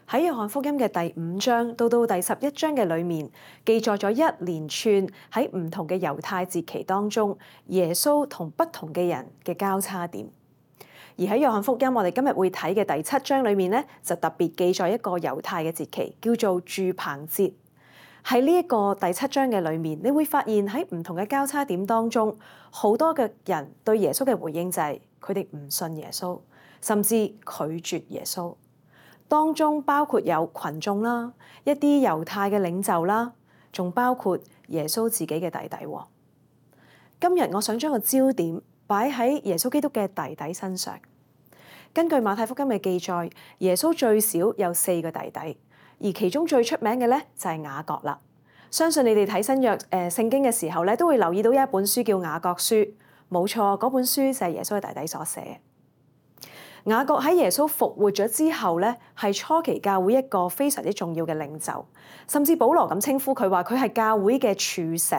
喺約翰福音嘅第5章到第11章嘅裏面，記載咗一連串喺唔同嘅猶太節期當中，耶穌同不同嘅人嘅交叉點。而喺約翰福音，我哋今日會睇嘅第7章裏面咧，就特別記載一個猶太嘅節期，叫做住棚節。喺呢一個第7章嘅裏面，你會發現喺唔同嘅交叉點當中，好多嘅人對耶穌嘅回應就係佢哋唔信耶穌，甚至拒絕耶穌。當中包括有群眾啦，一啲猶太嘅領袖啦，仲包括耶穌自己嘅弟弟。今日我想將個焦點擺喺耶穌基督嘅弟弟身上。根據馬太福音嘅記載，耶穌最少有4個弟弟，而其中最出名嘅咧就係雅各啦。相信你哋睇新約聖經嘅時候咧，都會留意到一本書叫雅各書。冇錯，嗰本書就係耶穌嘅弟弟所寫。雅各喺耶穌復活咗之後咧，係初期教會一個非常之重要嘅領袖，甚至保羅咁稱呼佢話佢係教會嘅柱石，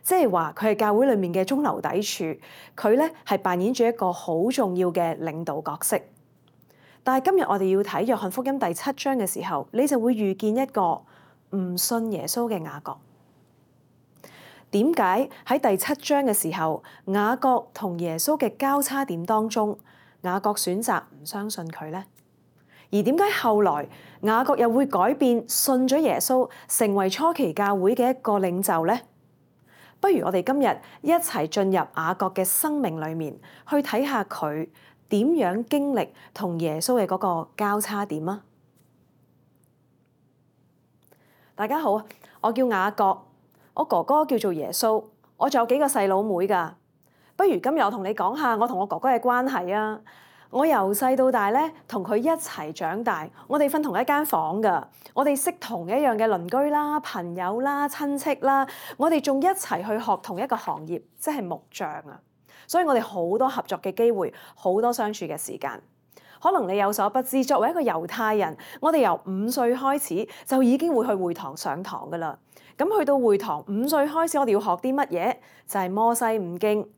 即係話佢係教會裡面嘅中流砥柱，佢咧係扮演住一個好重要嘅領導角色。但係今日我哋要睇約翰福音第7章嘅時候，你就會遇見一個唔信耶穌嘅雅各。點解喺第7章嘅時候，雅各同耶穌嘅交叉點當中，雅各選擇唔相信佢呢？而點解後來雅各又會改變，信咗耶穌，成為初期教會嘅一個領袖呢？不如我哋今日一齊進入雅各嘅生命裏面，去睇下佢點樣經歷同耶穌嘅嗰個交叉點啊！大家好，我叫雅各，我哥哥叫做耶穌，我仲有幾個細佬妹㗎。不如今日我同你講下我同我哥哥嘅關係啊！我由細到大咧，同佢一齊長大，我哋瞓同一間房㗎，我哋識同一樣嘅鄰居啦、朋友啦、親戚啦，我哋仲一齊去學同一個行業，即係木匠啊！所以我哋好多合作嘅機會，好多相處嘅時間。可能你有所不知，作為一個猶太人，我哋由5歲開始就已經會去會堂上堂㗎啦。咁去到會堂5歲開始，我哋要學啲乜嘢？就係摩西五經。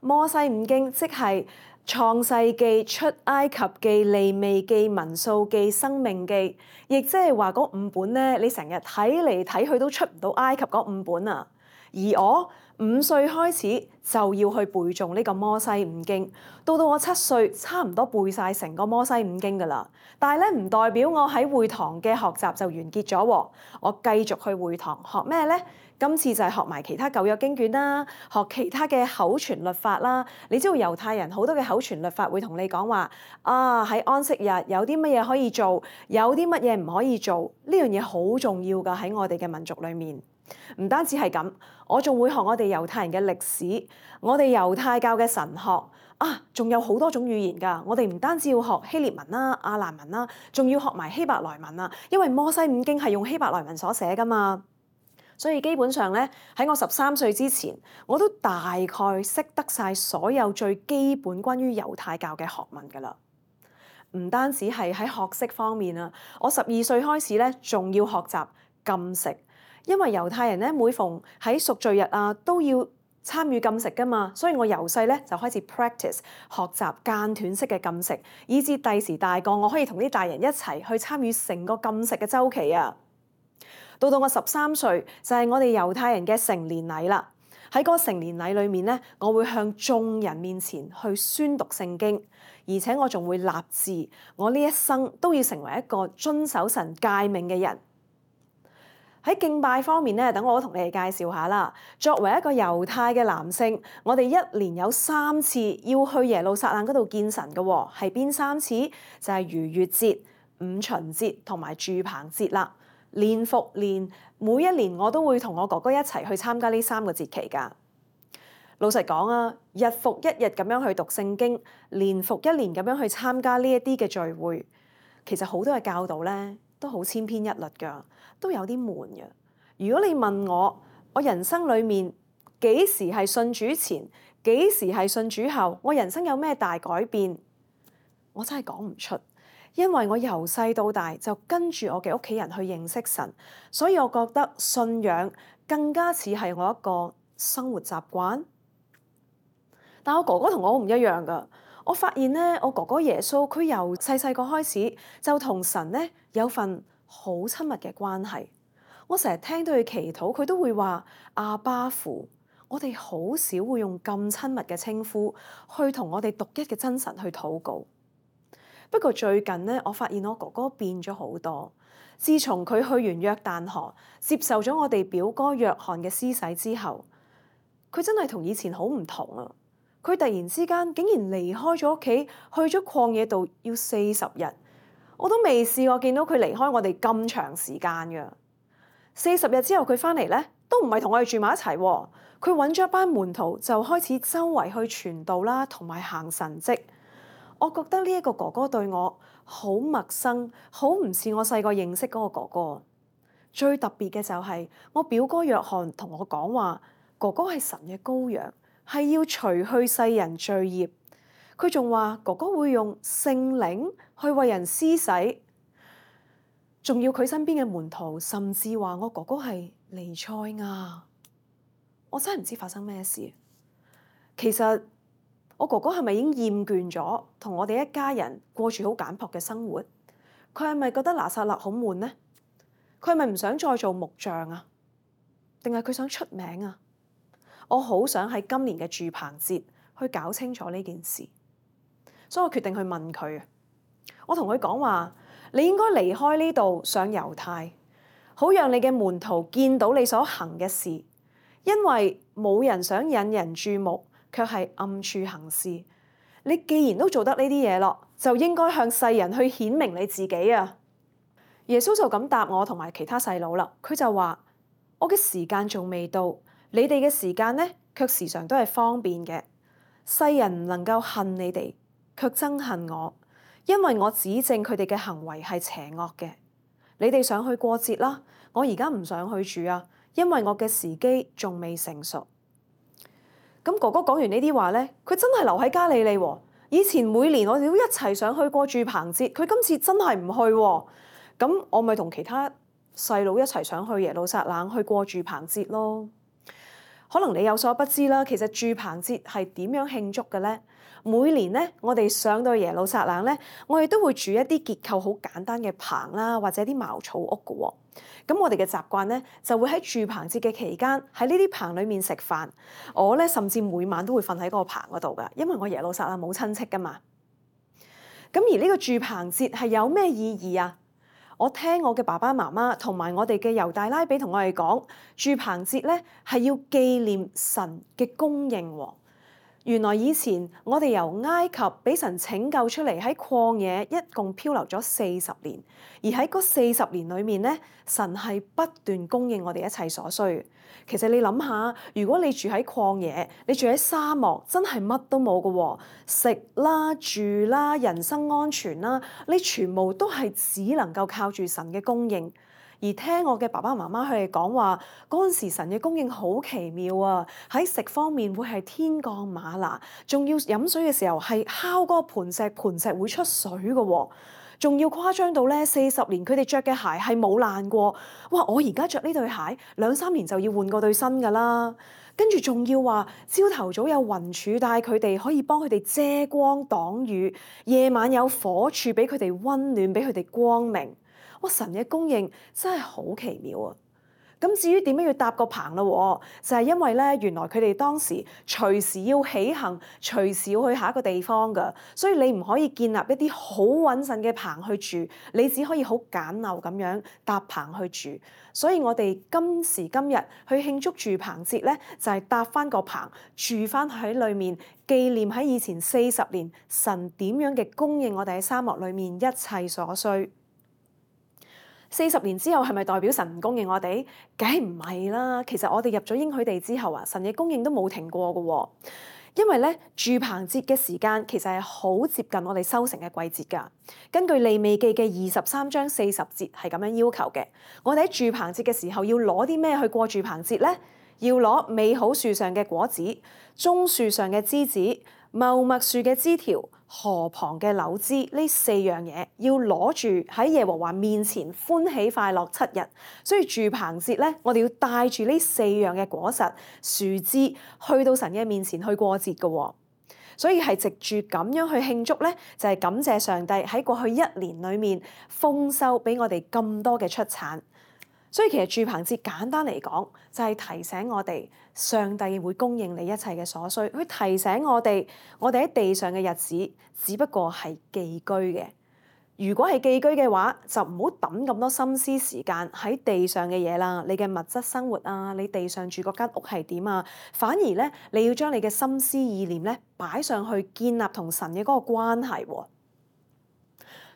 摩西五經即係創世記、出埃及記、利未記、民數記、生命記，亦即係話嗰5本咧，你成日睇嚟睇去都出唔到埃及嗰5本啊！而我5歲開始就要去背誦呢個摩西五經，到我7歲差唔多背晒成個摩西五經㗎啦。但係咧，唔代表我喺會堂嘅學習就完結咗喎，我繼續去會堂學咩咧？今次就係學埋其他舊約經卷啦，學其他嘅口傳律法啦。你知道猶太人好多嘅口傳律法會同你講話啊，喺安息日有啲乜嘢可以做，有啲乜嘢唔可以做，呢樣嘢好重要㗎，喺我哋嘅民族裏面。唔單止係咁，我仲會學我哋猶太人嘅歷史，我哋猶太教嘅神學啊，仲有好多種語言㗎。我哋唔單止要學希臘文啦、亞蘭文啦，仲要學埋希伯來文啊，因為摩西五經係用希伯來文所寫㗎嘛。所以基本上咧，喺我13歲之前，我都大概識得晒所有最基本關於猶太教嘅學問㗎啦。唔單止係喺學識方面啊，我12歲開始咧，仲要學習禁食，因為猶太人咧每逢喺贖罪日啊都要參與禁食㗎嘛，所以我由細咧就開始 practice 學習間斷式嘅禁食，以至第時大個我可以同啲大人一齊去參與成個禁食嘅週期啊。到我13歲就係我哋猶太人嘅成年禮啦。喺嗰個成年禮裏面咧，我會向眾人面前去宣讀聖經，而且我仲會立志，我呢一生都要成為一個遵守神誡命嘅人。喺敬拜方面咧，等我同你哋介紹下啦。作為一個猶太嘅男性，我哋一年有3次要去耶路撒冷嗰度見神嘅喎，係邊3次？就係逾越節、五旬節同埋住棚節啦。年復年，每一年我都會同我哥哥一齊去參加呢3個節期㗎。老實講啊，日復一日咁樣去讀聖經，年復一年咁樣去參加呢一啲嘅聚會，其實好多嘅教導咧都好千篇一律㗎，都有啲悶嘅。如果你問我人生裡面幾時係信主前，幾時係信主後，我人生有咩大改變，我真係講唔出。因為我由細到大就跟住我嘅屋企人去認識神，所以我覺得信仰更加似係我一個生活習慣。但我哥哥同我好唔一樣㗎，我發現咧，我哥哥耶穌佢由細細個開始就同神咧有份好親密嘅關係。我成日聽到佢祈禱，佢都會話阿爸父。我哋好少會用咁親密嘅稱呼去同我哋獨一嘅真神去禱告。不過最近咧，我發現我哥哥變咗好多。自從佢去完約旦河，接受咗我哋表哥約翰嘅施洗之後，佢真係同以前好唔同啊！佢突然之間竟然離開咗屋企，去咗曠野度要40日，我都未試過見到佢離開我哋咁長時間㗎。40日之後佢翻嚟咧，都唔係同我哋住埋一齊喎。佢揾咗一班門徒，就開始周圍去傳道啦，同埋行神蹟。我覺得呢一個哥哥對我好陌生，好唔似我細個認識嗰個哥哥。最特別嘅就係我表哥約翰同我講話，哥哥係神嘅羔羊，係要除去世人罪孽。佢仲話哥哥會用聖靈去為人施洗，仲要佢身邊嘅門徒甚至話我哥哥係彌賽亞。我真係唔知發生咩事。其實我哥哥係咪已經厭倦咗同我哋一家人過住好簡樸嘅生活？佢係咪覺得拿撒勒好悶呢？佢係咪唔想再做木匠啊？定係佢想出名啊？我好想喺今年嘅住棚節去搞清楚呢件事，所以我決定去問佢。我同佢講話：你應該離開呢度上猶太，好讓你嘅門徒見到你所行嘅事。因為冇人想引人注目，卻係暗處行事。你既然都做得呢啲嘢咯，就應該向世人去顯明你自己啊！耶穌就咁答我同埋其他細佬啦。佢就話：我嘅時間仲未到，你哋嘅時間呢，卻時常都係方便嘅。世人唔能夠恨你哋，卻憎恨我，因為我指證佢哋嘅行為係邪惡嘅。你哋想去過節啦，我而家唔想去住啊。因為我嘅時機仲未成熟。咁哥哥講完呢啲話咧，佢真係留喺加利利喎。以前每年我哋都一齊想去過住棚節，佢今次真係唔去喎。咁我咪同其他細佬一齊想去耶路撒冷去過住棚節咯。可能你有所不知啦，其實住棚節係點樣慶祝嘅咧？每年咧，我哋上到耶路撒冷咧，我哋都會住一啲結構好簡單嘅棚啦，或者啲茅草屋嘅喎。咁我哋嘅習慣咧，就會喺住棚節嘅期間喺呢啲棚裏面食飯。我咧甚至每晚都會瞓喺嗰個棚嗰度㗎，因為我耶路撒冷冇親戚㗎嘛。咁而呢個住棚節係有咩意義啊？我聽我嘅爸爸媽媽同埋我哋嘅猶大拉比同我哋講，住棚節咧係要紀念神嘅供應喎。原來以前我哋由埃及俾神拯救出嚟喺曠野，一共漂流咗40年，而喺嗰40年裏面咧，神係不斷供應我哋一切所需。其實你諗下，如果你住喺曠野，你住喺沙漠，真係乜都冇㗎喎，食啦、住啦、人身安全啦，你全部都係只能夠靠住神嘅供應。而聽我嘅爸爸媽媽佢哋講話，嗰陣時神嘅供應好奇妙啊！喺食方面會係天降嗎哪，仲要飲水嘅時候係敲嗰個盤石，盤石會出水嘅喎。仲要誇張到咧，40年佢哋着嘅鞋係冇爛過。哇！我而家着呢對鞋2-3年就要換過對新㗎啦。跟住仲要話朝頭早有雲柱帶佢哋，可以幫佢哋遮光擋雨；夜晚有火柱俾佢哋溫暖，俾佢哋光明。哇！神嘅供應真係好奇妙啊！咁至於點樣要搭個棚咯？就係因為咧，原來佢哋當時隨時要起行，隨時要去下一個地方㗎，所以你唔可以建立一啲好穩陣嘅棚去住，你只可以好簡陋咁樣搭棚去住。所以我哋今時今日去慶祝住棚節咧，就係搭翻個棚住翻喺裏面，紀念喺以前40年神點樣嘅供應我哋喺沙漠裏面一切所需。40年之後係咪代表神唔供應我哋？梗係唔係啦！其實我哋入咗應許地之後啊，神嘅供應都冇停過㗎喎。因為咧，住棚節嘅時間其實係好接近我哋收成嘅季節㗎。根據利未記嘅23章40節係咁樣要求嘅。我哋喺住棚節嘅時候要攞啲咩去過住棚節咧？要攞美好樹上嘅果子、棕樹上嘅枝子、茂麥樹嘅枝條、河旁嘅柳枝，呢4樣嘢要攞住喺耶和華面前歡喜快樂7日。所以住棚節咧，我哋要帶住呢4樣嘅果實、樹枝去到神嘅面前去過節㗎喎。所以係藉住咁樣去慶祝咧，就係感謝上帝喺過去一年裡面豐收俾我哋咁多嘅出產。所以其實住棚節簡單嚟講，就係提醒我哋上帝會供應你一切嘅所需，去提醒我哋喺地上嘅日子只不過係寄居嘅。如果係寄居嘅話，就唔好抌咁多心思時間喺地上嘅嘢啦。你嘅物質生活啊，你地上住嗰間屋係點啊？反而咧，你要將你嘅心思意念咧擺上去，建立同神嘅嗰個關係喎。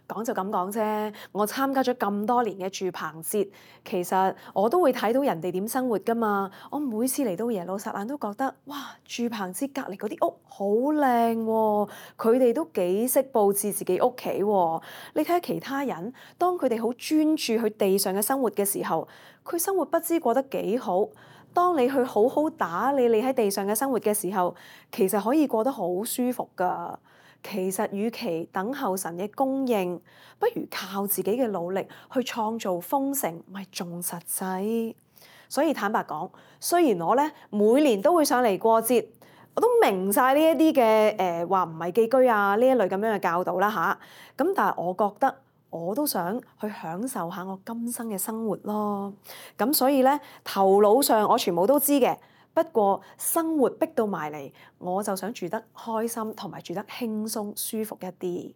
講就咁講啫，我參加咗咁多年嘅住棚節，其實我都會睇到人哋點生活㗎嘛。我每次嚟到耶路撒冷都覺得，哇！住棚節隔離嗰啲屋好靚喎，佢哋都幾識佈置自己屋企喎。你睇下其他人，當佢哋好專注去地上嘅生活嘅時候，佢生活不知過得幾好。當你去好好打理你喺地上嘅生活嘅時候，其實可以過得好舒服㗎。其實，與其等候神嘅供應，不如靠自己嘅努力去創造豐盛，咪仲實際。所以坦白講，雖然我咧每年都會上嚟過節，我都明晒呢一啲嘅話唔係寄居啊呢一類咁樣嘅教導啦吓。咁但係我覺得我都想去享受下我今生嘅生活咯。咁所以咧頭腦上我全部都知嘅。不過生活逼到埋嚟，我就想住得開心同埋住得輕鬆舒服一啲。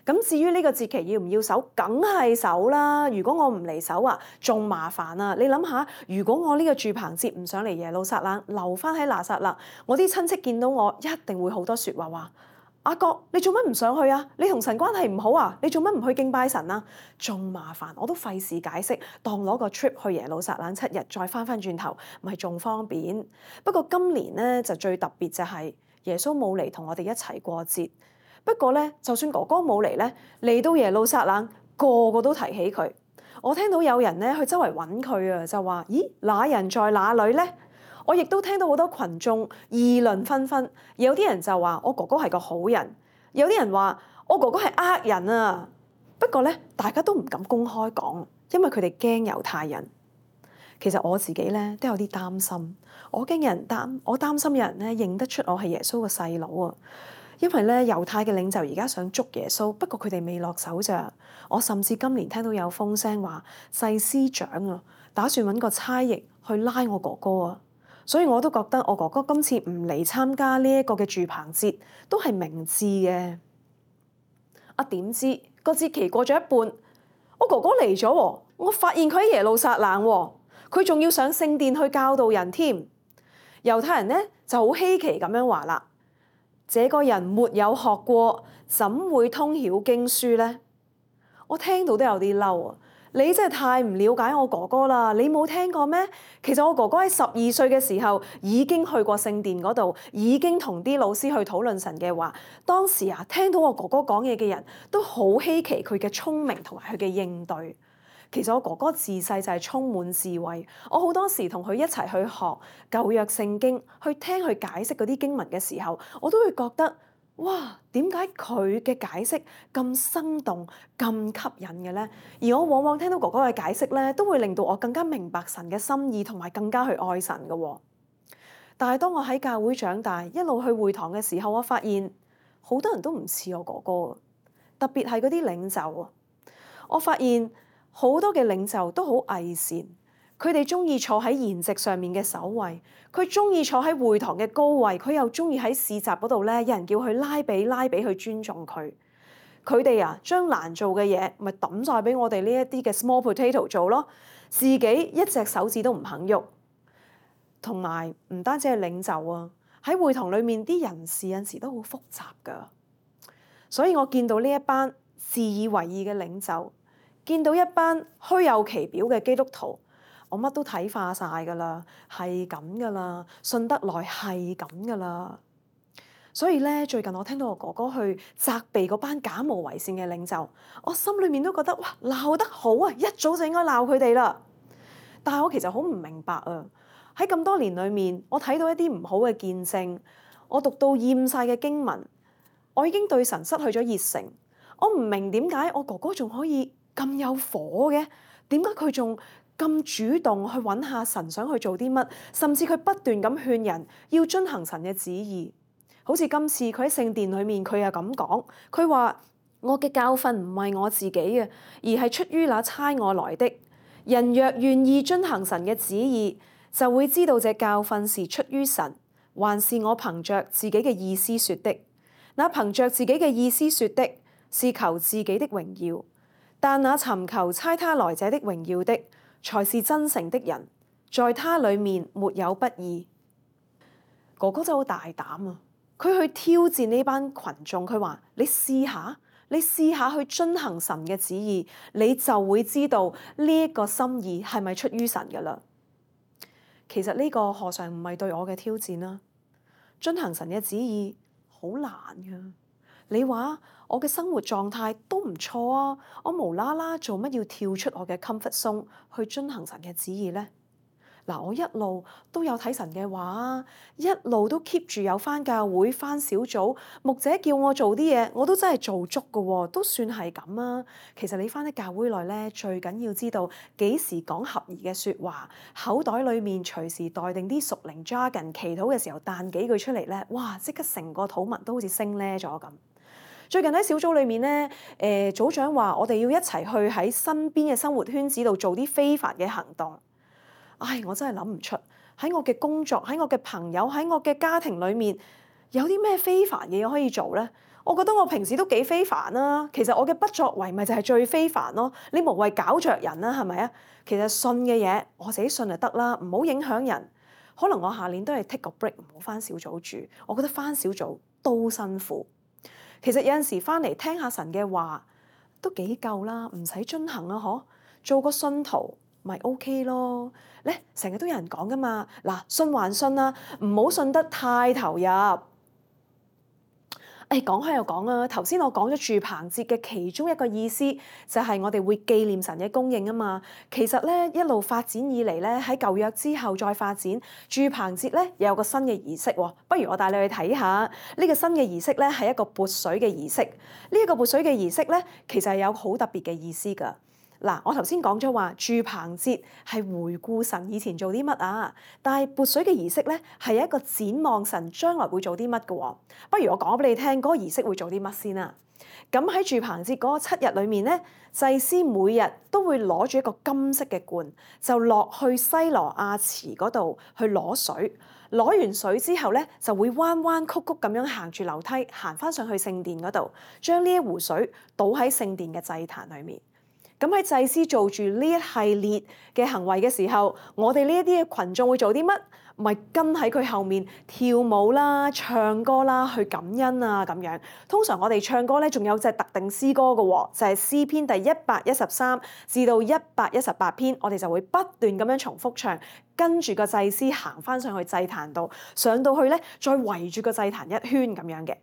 咁至於呢個節期要唔要守，梗係守啦。如果我唔嚟守啊，仲麻煩啊！你諗下，如果我呢個住棚節唔上嚟耶路撒冷，留翻喺拿撒勒，我啲親戚見到我一定會好多説話話。阿國，你做乜唔上去啊？你同神關係唔好啊？你做乜唔去敬拜神啊？仲麻煩，我都費事解釋，當攞個 trip 去耶路撒冷7日，再翻轉頭，咪仲方便。不過今年咧就最特別就係耶穌冇嚟同我哋一齊過節。不過咧，就算哥哥冇嚟咧，嚟到耶路撒冷，個個都提起佢。我聽到有人咧去周圍揾佢啊，就話：咦，那人在哪裏咧？我亦都聽到好多群眾議論紛紛，有啲人就話我哥哥係個好人，有啲人話我哥哥係呃人啊。不過咧，大家都唔敢公開講，因為佢哋驚猶太人。其實我自己咧都有啲擔心，我擔心有人咧認得出我係耶穌個細佬啊。因為咧猶太嘅領袖而家想捉耶穌，不過佢哋未落手咋。我甚至今年聽到有風聲話祭司長啊，打算揾個差役去拉我哥哥啊。所以我都覺得我哥哥今次唔嚟參加呢一個嘅住棚節，都係明智嘅。點知個節期過咗一半，我哥哥嚟咗喎，我發現佢喺耶路撒冷喎，佢仲要上聖殿去教導人添。猶太人咧就好稀奇咁樣話啦：這個人沒有學過，怎會通曉經書咧？我聽到都有啲嬲啊！你真係太唔了解我哥哥啦！你冇聽過咩？其實我哥哥喺12歲嘅時候已經去過聖殿嗰度，已經同啲老師去討論神嘅話。當時啊，聽到我哥哥講嘢嘅人都好稀奇佢嘅聰明同埋佢嘅應對。其實我哥哥自細就係充滿智慧，我好多時同佢一齊去學舊約聖經，去聽佢解釋嗰啲經文嘅時候，我都會覺得，哇！點解佢嘅解釋咁生動、咁吸引嘅咧？而我往往聽到哥哥嘅解釋咧，都會令到我更加明白神嘅心意，同埋更加去愛神嘅喎。但係當我喺教會長大，一路去會堂嘅時候，我發現好多人都唔似我哥哥，特別係嗰啲領袖啊。我發現好多嘅領袖都好偽善，佢哋中意坐喺筵席上面嘅首位，佢中意坐喺會堂嘅高位，佢又中意喺市集嗰度咧，有人叫佢拉比去尊重佢。佢哋啊，將難做嘅嘢咪抌晒俾我哋呢一啲嘅 small potato 做咯，自己一隻手指都唔肯喐。同埋唔單止係領袖啊，喺會堂裡面啲人事有時都好複雜噶。所以我見到呢一班自以為義嘅領袖，見到一班虛有其表嘅基督徒，我乜都睇化晒㗎啦，係咁㗎啦，信得來係咁㗎啦。所以咧，最近我聽到我哥哥去責備嗰班假冒為善嘅領袖，我心裏面都覺得哇，鬧得好啊！一早就應該鬧佢哋啦。但係我其實好唔明白啊，喺咁多年裏面，我睇到一啲唔好嘅見證，我讀到厭晒嘅經文，我已經對神失去咗熱誠。我唔明點解我哥哥仲可以咁有火嘅？點解佢仲咁主動去揾下神想去做啲乜？甚至佢不斷咁勸人要遵行神嘅旨意。好似今次佢喺聖殿裏面，佢又咁講，佢話：我嘅教訓唔係我自己嘅，而係出於那差我來的。人若願意遵行神嘅旨意，就會知道這教訓是出於神，還是我憑着自己嘅意思説的。那憑着自己嘅意思説的，是求自己的榮耀；但那尋求差他來者的榮耀的，才是真誠的人，在他裡面沒有不義。哥哥真係好大膽啊！佢去挑戰呢班群眾，佢話：你試下去遵行神嘅旨意，你就會知道呢一個心意係咪出於神㗎啦。其實呢個何嘗唔係對我嘅挑戰啦？遵行神嘅旨意好難㗎。你話我嘅生活狀態都唔錯啊，我無啦啦做乜要跳出我嘅 comfort zone 去遵行神嘅旨意呢？嗱，我一路都有睇神嘅話，一路都 keep 住有返教會、返小組，牧者叫我做啲嘢，我都真係做足㗎喎，都算係咁啊。其實你返喺教會內咧，最緊要知道幾時講合宜嘅説話，口袋裡面隨時帶定啲屬靈 jargon，祈禱嘅時候彈幾句出嚟咧，哇！即刻成個禱文都好似升咧咗咁。最近喺小組裏面咧，組長話我哋要一齊去喺身邊嘅生活圈子度做啲非凡嘅行動。唉，我真係諗唔出喺我嘅工作、喺我嘅朋友、喺我嘅家庭裏面有啲咩非凡嘅嘢可以做咧？我覺得我平時都幾非凡啦。其實我嘅不作為咪就係最非凡咯。你無謂搞着人啦，係咪啊？其實信嘅嘢我自己信就得啦，唔好影響人。可能我下年都係 take 個 break，唔好返小組住。我覺得返小組都辛苦。其實有陣時返嚟聽下神嘅話都幾夠啦，唔使遵行啊，嗬，做個信徒咪 OK 咯。咧成日都有人講噶嘛，嗱，信還信啦，唔好信得太投入。講開又講啊，頭先我講咗住棚節嘅其中一個意思就係我哋會紀念神嘅供應啊嘛。其實咧一路發展以嚟咧，喺舊約之後再發展住棚節咧，又有個新嘅儀式喎。不如我帶你去睇下呢個新嘅儀式咧，係一個潑水嘅儀式。呢一個潑水嘅儀式咧，其實係有好特別嘅意思㗎。嗱，我頭先講咗話住棚節係回顧神以前做啲乜啊，但係潑水嘅儀式咧係一個展望神將來會做啲乜嘅喎。不如我講俾你聽，嗰個儀式會做啲乜先啊？咁喺住棚節嗰個7日裏面咧，祭司每日都會攞住一個金色嘅罐，就落去西羅亞池嗰度去攞水。攞完水之後咧，就會彎彎曲曲咁樣行住樓梯行翻上去聖殿嗰度，將呢一壺水倒喺聖殿嘅祭壇裏面。咁喺祭司做住呢一系列嘅行為嘅時候，我哋呢一啲嘅群眾會做啲乜？咪跟喺佢後面跳舞啦、唱歌啦、去感恩啊咁樣。通常我哋唱歌咧，仲有隻特定詩歌嘅喎，就係詩篇第113至到118篇，我哋就會不斷咁樣重複唱，跟住個祭司行翻上去祭壇度，上到去咧再圍住個祭壇一圈咁樣嘅。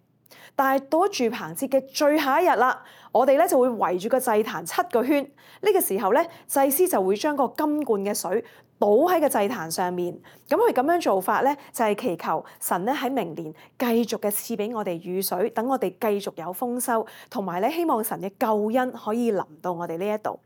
但係到咗住棚節嘅最後一日啦，我哋咧就會圍住個祭壇7個圈。呢個時候咧，祭司就會將個金罐嘅水倒喺個祭壇上面。咁佢咁樣做法咧，就係祈求神咧喺明年繼續嘅賜俾我哋雨水，等我哋繼續有豐收，同埋咧希望神嘅救恩可以臨到我哋呢一度。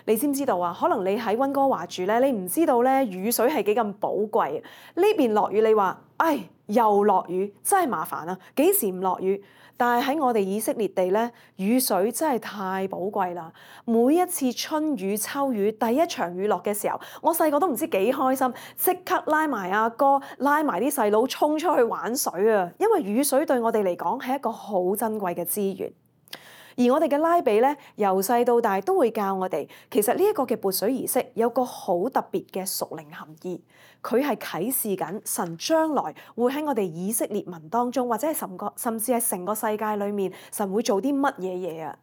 你知唔知道啊？可能你喺溫哥華住咧，你唔知道咧雨水係幾咁寶貴。呢邊落雨，你話唉又落雨，真係麻煩啊！幾時唔落雨？但係喺我哋以色列地咧，雨水真係太寶貴啦！每一次春雨秋雨，第一場雨落嘅時候，我細個都唔知幾開心，即刻拉埋阿哥，拉埋啲細佬衝出去玩水啊！因為雨水對我哋嚟講係一個好珍貴嘅資源。而我哋嘅拉比咧，由細到大都會教我哋，其實呢一個嘅潑水儀式有個好特別嘅屬靈含義，佢係啟示緊神將來會喺我哋以色列民當中，或者係甚至係成個世界裏面，神會做啲乜嘢嘢啊？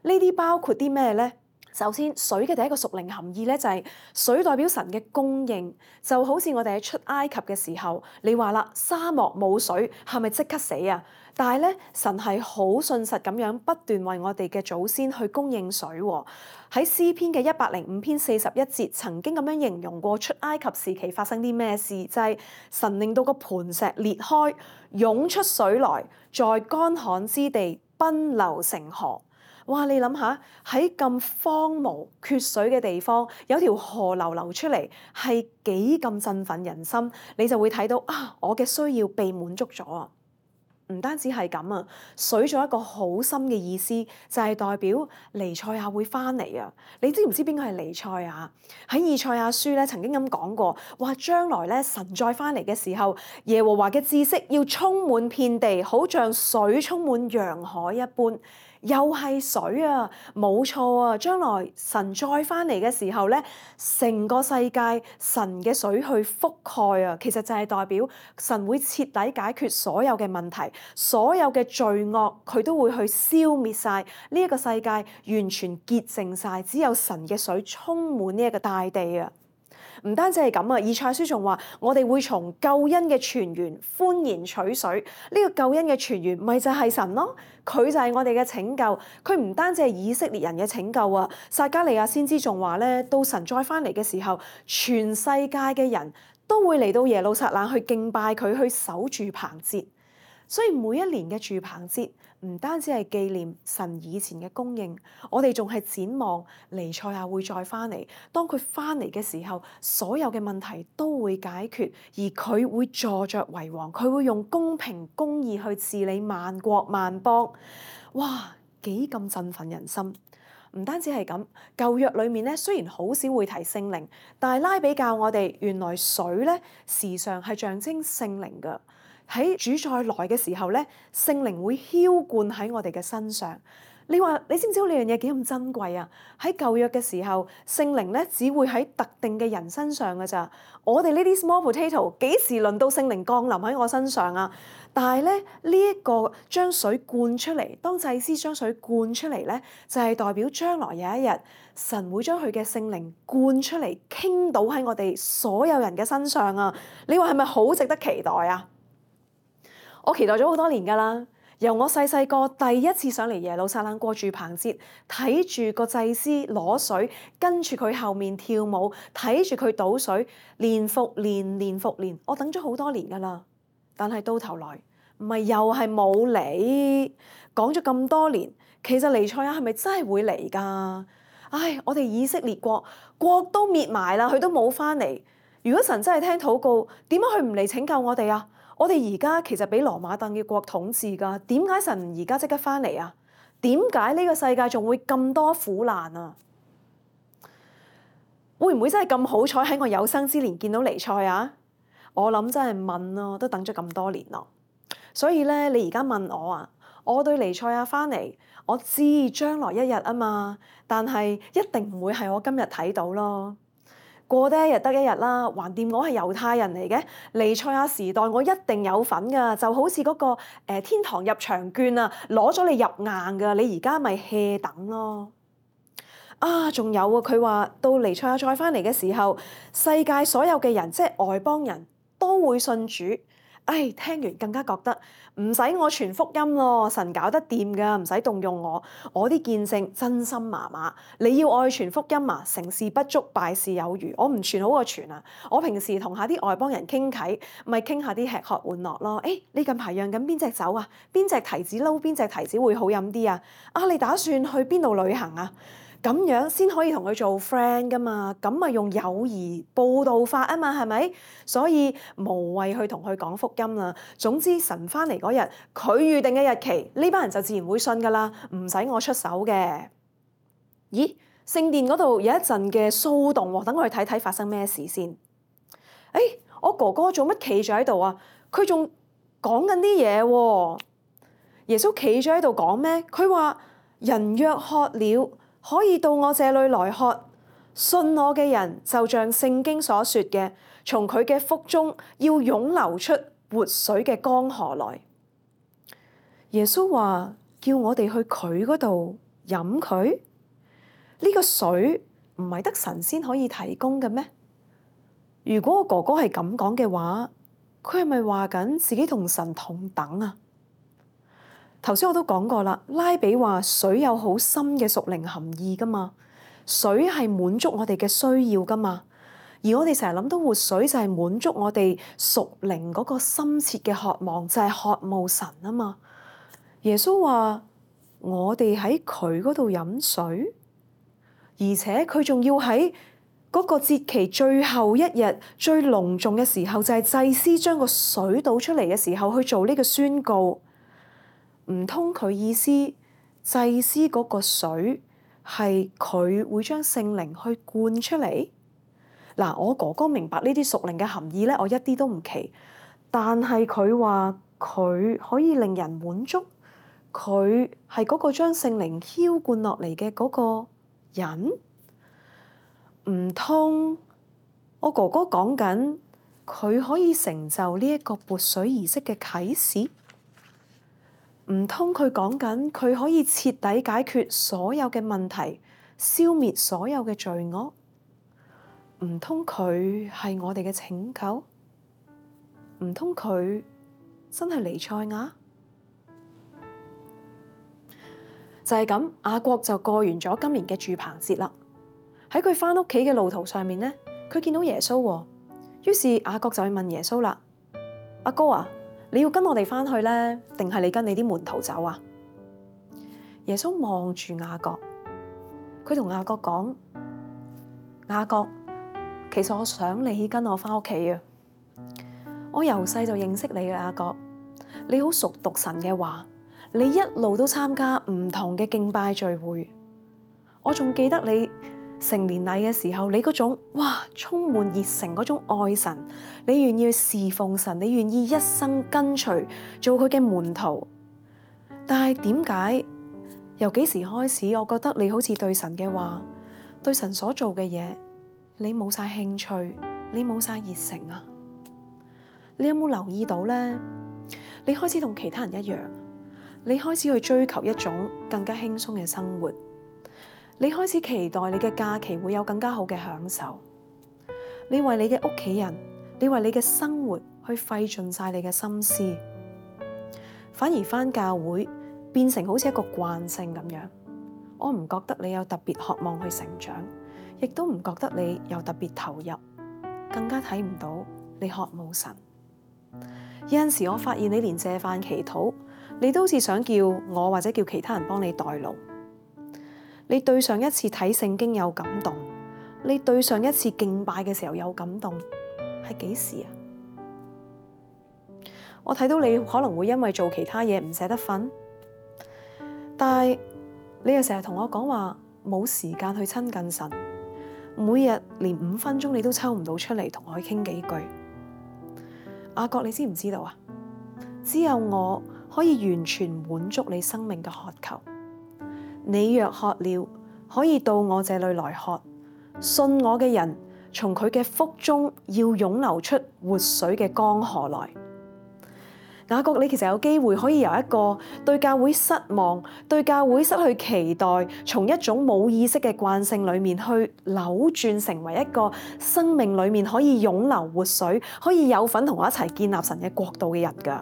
呢啲包括啲咩咧？首先，水嘅第一個屬靈含義咧，就係水代表神嘅供應，就好似我哋喺出埃及嘅時候，你話啦，沙漠冇水係咪即刻死啊？但係咧，神係好信實咁樣不斷為我哋嘅祖先去供應水喎。喺詩篇嘅105篇41節曾經咁樣形容過出埃及時期發生啲咩事，就係神令到個磐石裂開，湧出水來，在乾旱之地奔流成河。哇！你諗下喺咁荒蕪缺水嘅地方，有條河流出嚟，係幾咁振奮人心？你就會睇到啊，我嘅需要被滿足咗啊！唔單止係咁啊，水仲有一個好深嘅意思，就係代表彌賽亞會翻嚟啊！你知唔知邊個係彌賽亞？喺以賽亞書咧曾經咁講過，話將來咧神再翻嚟嘅時候，耶和華嘅知識要充滿遍地，好像水充滿洋海一般。又係水啊，冇錯啊！將來神再翻嚟嘅時候咧，成個世界神嘅水去覆蓋啊，其實就係代表神會徹底解決所有嘅問題，所有嘅罪惡佢都會去消滅晒，呢一個世界完全潔淨晒，只有神嘅水充滿呢一個大地啊！唔單止係咁啊，以賽亞書仲話我哋會從救恩嘅泉源歡然取水。呢個救恩嘅泉源咪就係神咯，佢就係我哋嘅拯救。佢唔單止係以色列人嘅拯救啊，撒迦利亞先知仲話咧，到神再翻嚟嘅時候，全世界嘅人都會嚟到耶路撒冷去敬拜佢，去守住棚節。所以每一年嘅住棚節唔單止係紀念神以前嘅供應，我哋仲係展望彌賽亞會再翻嚟。當佢翻嚟嘅時候，所有嘅問題都會解決，而佢會坐着為王，佢會用公平公義去治理萬國萬邦。哇，幾咁振奮人心！唔單止係咁，舊約裏面咧雖然好少會提聖靈，但係拉比教我哋原來水咧時常係象徵聖靈㗎。喺主再來嘅時候咧，聖靈會澆灌喺我哋嘅身上。你話你知唔知道呢樣嘢幾咁珍貴啊？喺舊約嘅時候，聖靈咧只會喺特定嘅人身上㗎咋。我哋呢啲 small potato 幾時輪到聖靈降臨喺我身上啊？但係咧呢一個將水灌出嚟，當祭司將水灌出嚟咧，就係代表將來有一日神會將佢嘅聖靈灌出嚟，傾倒喺我哋所有人嘅身上啊！你話係咪好值得期待啊？我期待咗好多年㗎啦，由我細細個第一次上嚟耶路撒冷過住棚節，睇住個祭司攞水，跟住佢後面跳舞，睇住佢倒水，年復年，年復年，我等咗好多年㗎啦。但係到頭來，唔係又係冇嚟。講咗咁多年，其實彌賽亞係咪真係會嚟㗎？唉，我哋以色列國都滅埋啦，佢都冇翻嚟。如果神真係聽禱告，點解佢唔嚟拯救我哋啊？我哋而家其實俾羅馬帝國統治㗎，點解神而家即刻翻嚟啊？點解呢個世界仲會咁多苦難啊？會唔會真係咁好彩喺我有生之年見到彌賽亞？我諗真係問咯，都等咗咁多年咯。所以咧，你而家問我啊，我對彌賽亞翻嚟，我知將來一日啊嘛，但係一定唔會係我今日睇到咯。過得一日得一日啦，橫掂我係猶太人嚟嘅，彌賽亞時代我一定有份㗎，就好似嗰個天堂入場券啊，攞咗你入硬㗎，你而家咪 hea 等咯。啊，仲有啊，佢話到彌賽亞再翻嚟嘅時候，世界所有嘅人即係外邦人都會信主。唉，聽完更加覺得唔使我傳福音咯，神搞得掂㗎，唔使動用我。我啲見證真心麻麻，你要我去傳福音啊？成事不足，敗事有餘。我唔傳好過傳啊！我平時同下啲外邦人傾偈，咪傾下啲吃喝玩樂咯。誒，你近排釀緊邊隻酒啊？邊隻提子撈邊隻提子會好飲啲啊？啊，你打算去邊度旅行啊？咁樣先可以同佢做 friend 噶嘛，咁咪用友誼報道法啊嘛，係咪？所以無謂去同佢講福音啦。總之神翻嚟嗰日，佢預定嘅日期，呢班人就自然會信噶啦，唔使我出手嘅。咦？聖殿嗰度有一陣嘅騷動喎，等我去睇睇發生咩事先。誒，我哥哥做乜企咗喺度啊？佢仲講緊啲嘢喎。耶穌企咗喺度講咩？佢話：人若渴了，可以到我這裏來喝，信我嘅人就像聖經所說嘅，從佢嘅腹中要湧流出活水嘅江河來。耶穌話叫我哋去佢嗰度飲佢，呢個水唔係得神先可以提供嘅咩？如果我哥哥係咁講嘅話，佢係咪話緊自己同神同等啊？頭先我都講過啦，拉比話水有好深嘅屬靈含義㗎嘛，水係滿足我哋嘅需要㗎嘛，而我哋成日諗到活水就係滿足我哋屬靈嗰個深切嘅渴望，就係渴慕神啊嘛。耶穌話我哋喺佢嗰度飲水，而且佢仲要喺嗰個節期最後一日最隆重嘅時候，就係祭司將個水倒出嚟嘅時候去做呢個宣告。唔通佢意思祭司嗰個水係佢會將聖靈去灌出嚟？嗱，我哥哥明白呢啲屬靈嘅含義咧，我一啲都唔奇。但係佢話佢可以令人滿足，佢係嗰個將聖靈澆灌落嚟嘅嗰個人。唔通我哥哥講緊佢可以成就呢一個潑水儀式嘅啟示？唔通佢講緊佢可以徹底解決所有嘅問題，消滅所有嘅罪惡？唔通佢係我哋嘅拯救？唔通佢真係彌賽亞？就係咁，雅各就過完咗今年嘅住棚節啦。喺佢返屋企嘅路途上面呢，佢見到耶穌喎。於是雅各就去問耶穌啦：阿哥啊，你要跟我哋返去呢？定係你跟你啲門徒走啊？耶穌望住雅各，佢同雅各講：雅各，其實我想你跟我返屋企啊！我由細就認識你嘅雅各，你好熟讀神嘅話，你一路都參加唔同嘅敬拜聚會。我仲記得你成年禮嘅時候，你嗰種充滿熱誠嗰種愛神，你願意去侍奉神，你願意一生跟隨做佢嘅門徒。但係點解由幾時開始，我覺得你好似對神嘅話，對神所做嘅嘢，你冇晒興趣，你冇晒熱誠啊？你有冇留意到呢？你開始同其他人一樣，你開始去追求一種更加輕鬆嘅生活，你開始期待你嘅假期會有更加好嘅享受，你為你嘅屋企人，你為你嘅生活去費盡晒你嘅心思，反而返教會變成好似一個慣性咁樣。我唔覺得你有特別渴望去成長，亦都唔覺得你有特別投入，更加睇唔到你渴慕神。有陣時我發現你連謝飯祈禱，你都好似想叫我或者叫其他人幫你代勞。你對上一次睇聖經有感動，你對上一次敬拜嘅時候有感動，係幾時啊？我睇到你可能會因為做其他嘢唔捨得瞓，但係你又成日同我講話冇時間去親近神，每日連5分鐘你都抽唔到出嚟同我去傾幾句。雅各，你知唔知道啊？只有我可以完全滿足你生命嘅渴求。你若渴了，可以到我這裏來喝。信我嘅人，從佢嘅腹中要湧流出活水嘅江河來。雅各，你其實有機會可以由一個對教會失望、對教會失去期待，從一種冇意識嘅慣性裏面去扭轉成為一個生命裏面可以湧流活水，可以有份同我一齊建立神嘅國度嘅人㗎。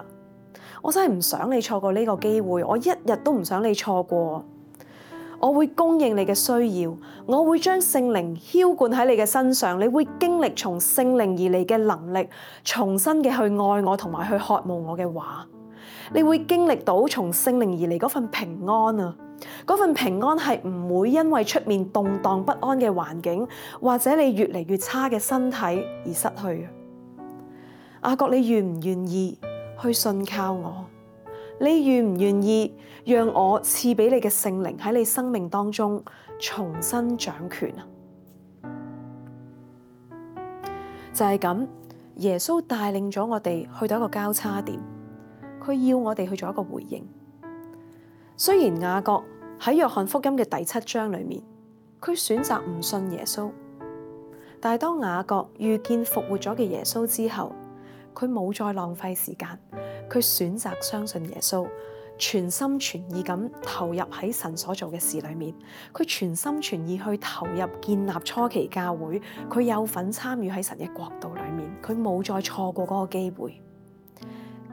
我真係唔想你錯過呢個機會，我一日都唔想你錯過。我會供應你嘅需要，我會將聖靈澆灌喺你嘅身上，你會經歷從聖靈而嚟嘅能力，重新嘅去愛我同埋去渴慕我嘅話。你會經歷到從聖靈而嚟嗰份平安啊！嗰份平安係唔會因為出面動盪不安嘅環境，或者你越嚟越差嘅身體而失去。雅各，你願唔願意去信靠我？你願唔願意讓我賜俾你嘅聖靈喺你生命當中重新掌權啊？就係咁，耶穌帶領咗我哋去到一個交叉點，佢要我哋去做一個回應。雖然雅各喺約翰福音嘅第7章裏面，佢選擇唔信耶穌，但係當雅各遇見復活咗嘅耶穌之後，佢冇再浪費時間。佢選擇相信耶穌，全心全意咁投入喺神所做嘅事裏面。佢全心全意去投入建立初期教會，佢有份參與喺神嘅國度裏面。佢冇再錯過嗰個機會。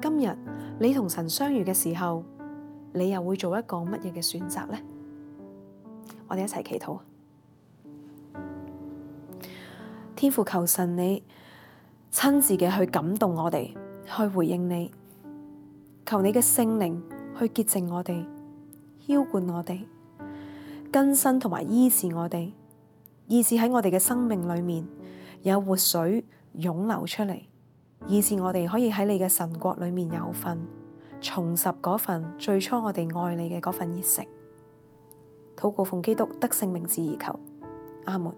今日你同神相遇嘅時候，你又會做一個乜嘢嘅選擇呢？我哋一齊祈禱。天父，求神你親自嘅去感動我哋，去回應你。求你嘅聖靈去潔淨我哋，澆灌我哋，更新同埋醫治我哋，以致喺我哋嘅生命裏面有活水湧流出嚟，以致我哋可以喺你嘅神國裏面有份，重拾嗰份最初我哋愛你嘅嗰份熱誠。禱告奉基督得勝名字而求，阿門。